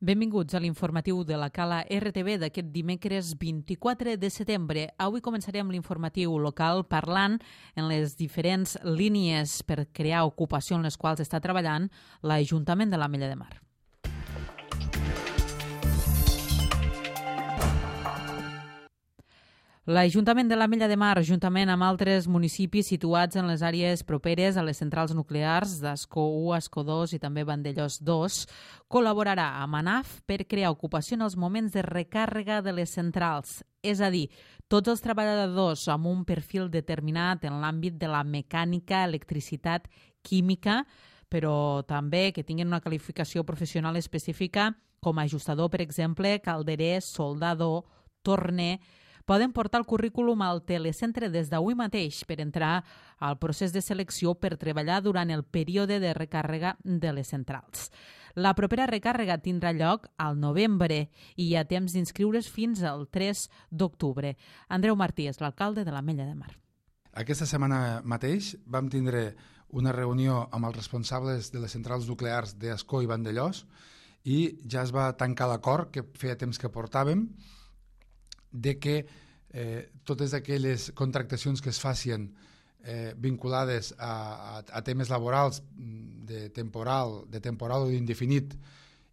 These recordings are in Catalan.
Benvinguts a l'informatiu de la Cala RTV d'aquest dimecres 24 de setembre. Avui començarem l'informatiu local parlant en les diferents línies per crear ocupació en les quals està treballant l'Ajuntament de l'Ametlla de Mar. L'Ajuntament de l'Ametlla de Mar, juntament amb altres municipis situats en les àrees properes a les centrals nuclears d'Ascó 1, Ascó 2 i també Vandellòs 2, col·laborarà amb ANAF per crear ocupació en els moments de recàrrega de les centrals. És a dir, tots els treballadors amb un perfil determinat en l'àmbit de la mecànica, electricitat, química, però també que tinguin una qualificació professional específica com a ajustador, per exemple, calderer, soldador, torner, poden portar el currículum al telecentre des d'avui mateix per entrar al procés de selecció per treballar durant el període de recàrrega de les centrals. La propera recàrrega tindrà lloc al novembre i hi ha temps d'inscriure's fins al 3 d'octubre. Andreu Martí és l'alcalde de l'Ametlla de Mar. Aquesta setmana mateix vam tindre una reunió amb els responsables de les centrals nuclears d'Ascó i Vandellòs i ja es va tancar l'acord que feia temps que portàvem de que totes aquelles contractacions que es facin vinculades a temes laborals de temporal o d'indefinit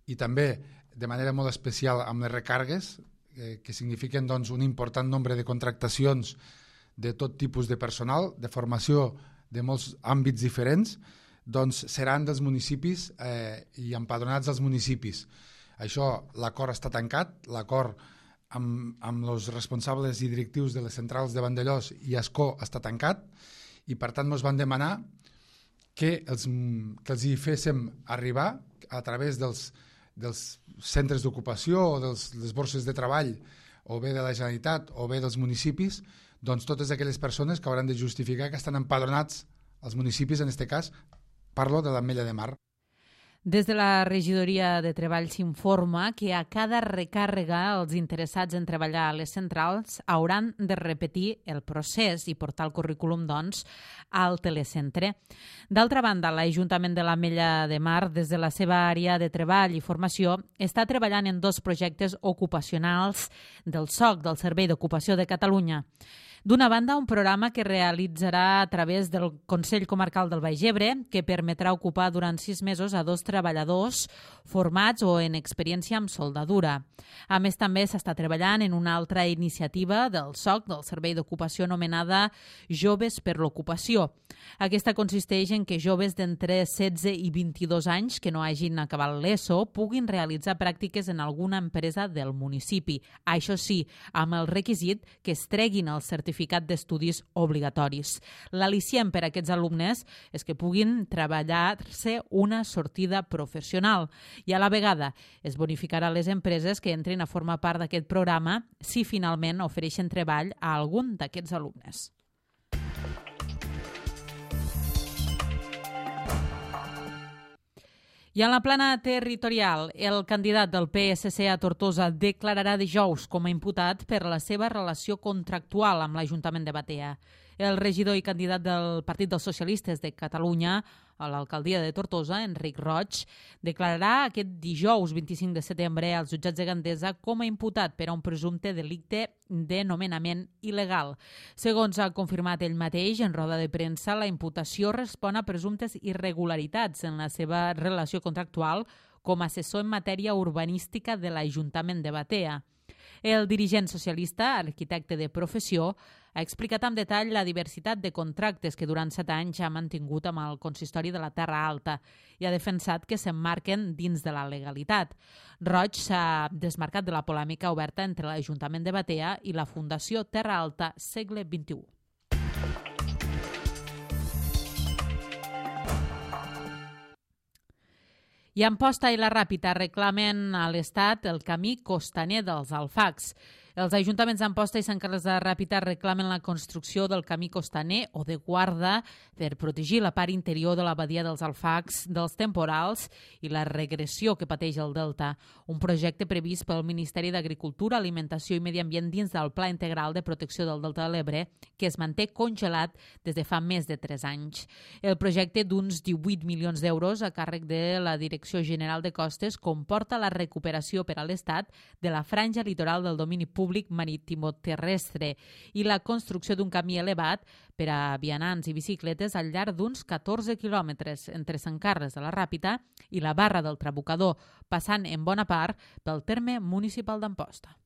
i també de manera molt especial amb les recàrregues, que signifiquen doncs, un important nombre de contractacions de tot tipus de personal, de formació de molts àmbits diferents, doncs seran dels municipis i empadronats dels municipis. Això, l'acord està tancat, l'acord amb els responsables i directius de les centrals de Vandellòs i Ascó està tancat i per tant ens van demanar que els hi féssim arribar a través dels centres d'ocupació o de les borses de treball o bé de la Generalitat o bé dels municipis, doncs totes aquelles persones que hauran de justificar que estan empadronats als municipis, en aquest cas parlo de l'Ametlla de Mar. Des de la regidoria de Treball s'informa que a cada recàrrega els interessats en treballar a les centrals hauran de repetir el procés i portar el currículum, doncs, al telecentre. D'altra banda, l'Ajuntament de l'Ametlla de Mar, des de la seva àrea de treball i formació, està treballant en 2 projectes ocupacionals del SOC, del Servei d'Ocupació de Catalunya. D'una banda, un programa que realitzarà a través del Consell Comarcal del Baix Ebre, que permetrà ocupar durant 6 mesos a 2 treballadors formats o en experiència amb soldadura. A més, també s'està treballant en una altra iniciativa del SOC, del Servei d'Ocupació, anomenada Joves per l'Ocupació. Aquesta consisteix en que joves d'entre 16 i 22 anys que no hagin acabat l'ESO puguin realitzar pràctiques en alguna empresa del municipi. Això sí, amb el requisit que es treguin el certificat d'estudis obligatoris. L'al·licient per a aquests alumnes és que puguin treballar-se una sortida professional i a la vegada es bonificarà les empreses que entrin a formar part d'aquest programa si finalment ofereixen treball a algun d'aquests alumnes. I en la plana territorial, el candidat del PSC a Tortosa declararà dijous com a imputat per la seva relació contractual amb l'Ajuntament de Batea. El regidor i candidat del Partit dels Socialistes de Catalunya a l'alcaldia de Tortosa, Enric Roig, declararà aquest dijous 25 de setembre als jutjats de Gandesa com a imputat per a un presumpte delicte de nomenament il·legal. Segons ha confirmat ell mateix en roda de premsa, la imputació respon a presumptes irregularitats en la seva relació contractual com a assessor en matèria urbanística de l'Ajuntament de Batea. El dirigent socialista, arquitecte de professió, ha explicat amb detall la diversitat de contractes que durant 7 anys ha mantingut amb el consistori de la Terra Alta i ha defensat que s'emmarquen dins de la legalitat. Roig s'ha desmarcat de la polèmica oberta entre l'Ajuntament de Batea i la Fundació Terra Alta Segle XXI. I Amposta i la Ràpita reclamen a l'Estat el camí costaner dels Alfacs. Els ajuntaments d'Amposta i Sant Carles de la Ràpita reclamen la construcció del camí costaner o de guarda per protegir la part interior de la badia dels Alfacs dels temporals i la regressió que pateix el delta. Un projecte previst pel Ministeri d'Agricultura, Alimentació i Medi Ambient dins del Pla Integral de Protecció del Delta de l'Ebre, que es manté congelat des de fa més de 3 anys. El projecte d'uns 18 milions d'euros a càrrec de la Direcció General de Costes comporta la recuperació per a l'Estat de la franja litoral del domini públic marítimo-terrestre i la construcció d'un camí elevat per a vianants i bicicletes al llarg d'uns 14 quilòmetres entre Sant Carles de la Ràpita i la Barra del Trabucador, passant en bona part pel terme municipal d'Amposta.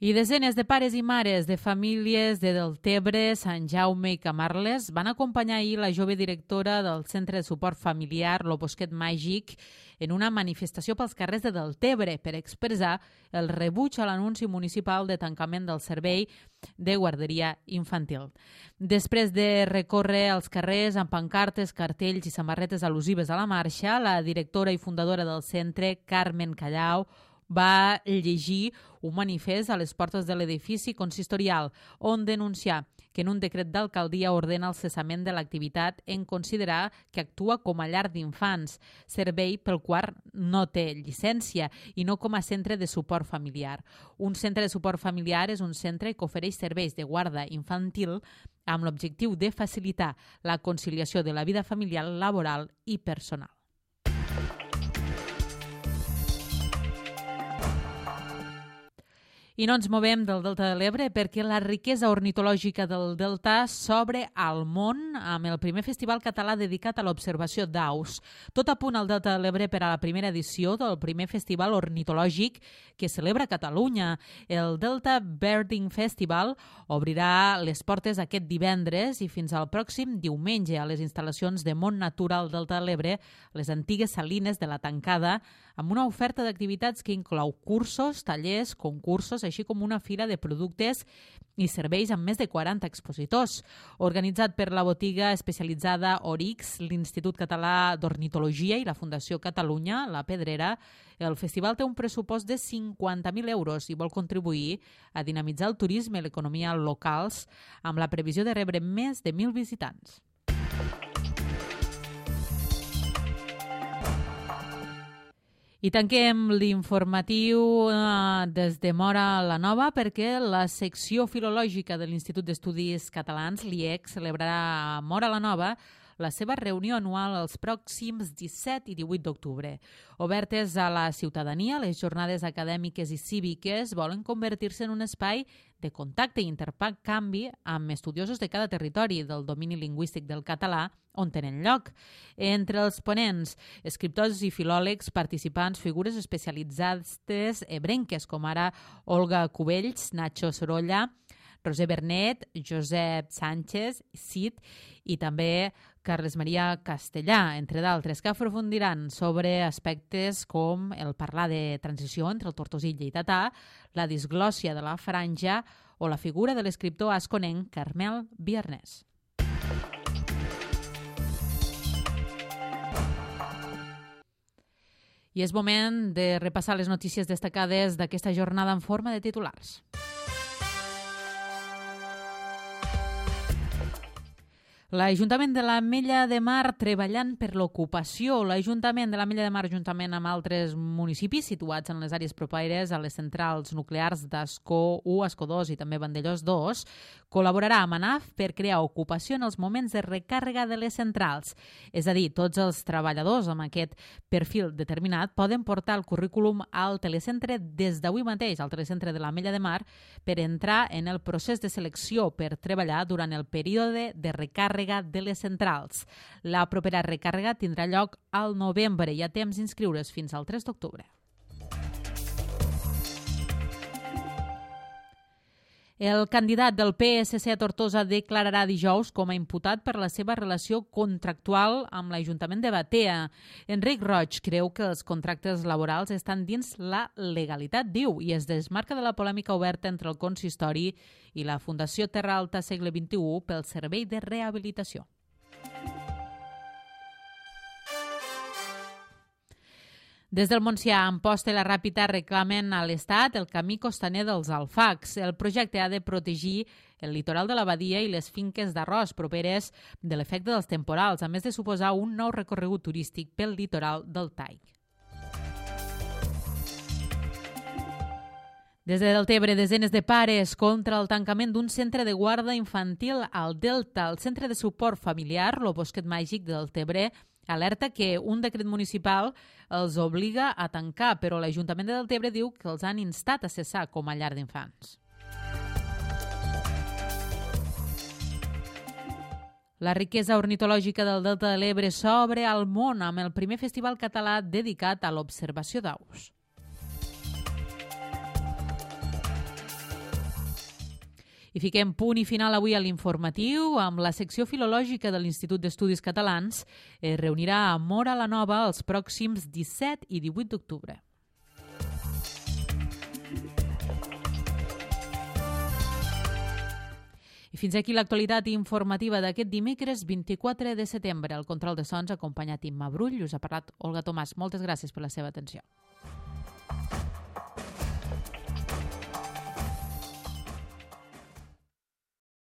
I desenes de pares i mares de famílies de Deltebre, Sant Jaume i Camarles van acompanyar ahir la jove directora del Centre de Suport Familiar, Lo Bosquet Màgic, en una manifestació pels carrers de Deltebre per expressar el rebuig a l'anunci municipal de tancament del servei de guarderia infantil. Després de recórrer els carrers amb pancartes, cartells i samarretes al·lusives a la marxa, la directora i fundadora del centre, Carmen Callau, va llegir un manifest a les portes de l'edifici consistorial on denunciar que en un decret d'alcaldia ordena el cessament de l'activitat en considerar que actua com a llar d'infants, servei pel qual no té llicència i no com a centre de suport familiar. Un centre de suport familiar és un centre que ofereix serveis de guarda infantil amb l'objectiu de facilitar la conciliació de la vida familiar, laboral i personal. I no ens movem del Delta de l'Ebre perquè la riquesa ornitològica del Delta s'obre al món amb el primer festival català dedicat a l'observació d'aus. Tot a punt al Delta de l'Ebre per a la primera edició del primer festival ornitològic que celebra Catalunya. El Delta Birding Festival obrirà les portes aquest divendres i fins al pròxim diumenge a les instal·lacions de Món Natural Delta de l'Ebre, les antigues salines de la Tancada, amb una oferta d'activitats que inclou cursos, tallers, concursos, així com una fira de productes i serveis amb més de 40 expositors. Organitzat per la botiga especialitzada Orix, l'Institut Català d'Ornitologia i la Fundació Catalunya, La Pedrera, el festival té un pressupost de 50.000 euros i vol contribuir a dinamitzar el turisme i l'economia locals amb la previsió de rebre més de 1.000 visitants. I tanquem l'informatiu des de Móra la Nova perquè la secció filològica de l'Institut d'Estudis Catalans, l'IEC, celebrarà a Móra la Nova la seva reunió anual els pròxims 17 i 18 d'octubre. Obertes a la ciutadania, les jornades acadèmiques i cíviques volen convertir-se en un espai de contacte i intercanvi amb estudiosos de cada territori del domini lingüístic del català on tenen lloc. Entre els ponents, escriptors i filòlegs, participants, figures especialitzades ebrenques, com ara Olga Cubells, Nacho Sorolla, Roser Bernet, Josep Sánchez, Cid i també Carles Maria Castellà, entre d'altres, que aprofundiran sobre aspectes com el parlar de transició entre el tortosí i lleidatà, la disglòssia de la franja o la figura de l'escriptor asconenc Carmel Biarnès. I és moment de repassar les notícies destacades d'aquesta jornada en forma de titulars. L'Ajuntament de l'Ametlla de Mar treballant per l'ocupació. L'Ajuntament de l'Ametlla de Mar, juntament amb altres municipis situats en les àrees properes a les centrals nuclears d'Ascó 1, Ascó 2 i també Vandellòs 2, col·laborarà amb ANAF per crear ocupació en els moments de recàrrega de les centrals. És a dir, tots els treballadors amb aquest perfil determinat poden portar el currículum al telecentre des d'avui mateix, al telecentre de l'Ametlla de Mar, per entrar en el procés de selecció per treballar durant el període de recàrrega de les centrals. La propera recàrrega tindrà lloc al novembre i hi ha temps d'inscriure's fins al 3 d'octubre. El candidat del PSC a Tortosa declararà dijous com a imputat per la seva relació contractual amb l'Ajuntament de Batea. Enric Roig creu que els contractes laborals estan dins la legalitat, diu, i es desmarca de la polèmica oberta entre el consistori i la Fundació Terra Alta Segle XXI pel servei de rehabilitació. Des del Montsià, Amposta i la Ràpita reclamen a l'Estat el camí costaner dels Alfacs. El projecte ha de protegir el litoral de la Badia i les finques d'arròs properes de l'efecte dels temporals, a més de suposar un nou recorregut turístic pel litoral del Taig. Des de Deltebre, desenes de pares contra el tancament d'un centre de guarda infantil al Delta. El Centre de Suport Familiar, lo Bosquet Màgic de Deltebre, alerta que un decret municipal els obliga a tancar, però l'Ajuntament de Deltebre diu que els han instat a cessar com a llar d'infants. La riquesa ornitològica del Delta de l'Ebre s'obre al món amb el primer festival català dedicat a l'observació d'aus. I fiquem punt i final avui a l'informatiu amb la secció filològica de l'Institut d'Estudis Catalans. Es reunirà a Móra la Nova els pròxims 17 i 18 d'octubre. I fins aquí l'actualitat informativa d'aquest dimecres 24 de setembre. El control de sons acompanyat Imma Brull. Us ha parlat Olga Tomàs. Moltes gràcies per la seva atenció.